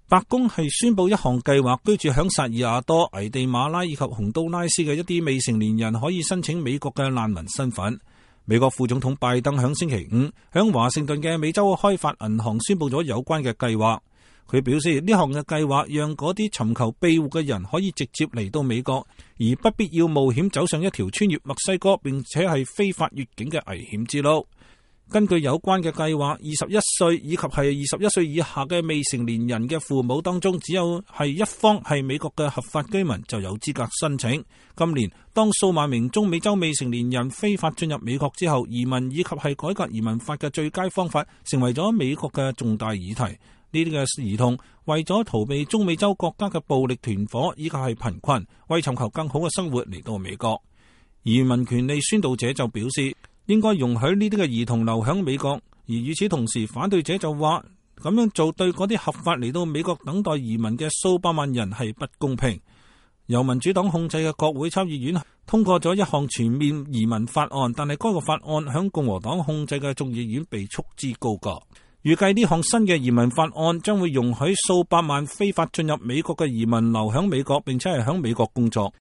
白宮係宣布一項計劃，居住響薩爾瓦多、危地馬拉以及洪都拉斯嘅一啲未成年人可以申請美國嘅難民身份。美國副總統拜登響星期五響華盛頓嘅美洲開發銀行宣布咗有關嘅計劃。佢表示呢項嘅計劃讓嗰啲尋求庇護嘅人可以直接嚟到美國，而不必要冒險走上一條穿越墨西哥並且係非法越境嘅危險之路。根據有關嘅計劃，21歲以及係21歲以下嘅未成年人嘅父母當中，只有係一方係美國嘅合法居民就有資格申請。今年當數萬名中美洲未成年人非法進入美國之後，移民以及係改革移民法嘅最佳方法成為咗美國嘅重大議題。呢啲嘅兒童為咗逃避中美洲國家嘅暴力團伙以及係貧困，為尋求更好嘅生活嚟到美國。移民權利宣導者就表示，應該容許呢啲嘅兒童留響美國，而與此同時，反對者就話咁樣做對嗰啲合法嚟到美國等待移民嘅數百萬人係不公平。由民主黨控制嘅國會參議院通過咗一項全面移民法案，但係該個法案響共和黨控制嘅眾議院被束之高閣。預計呢項新嘅移民法案將會容許數百萬非法進入美國嘅移民留響美國，並且係響美國工作。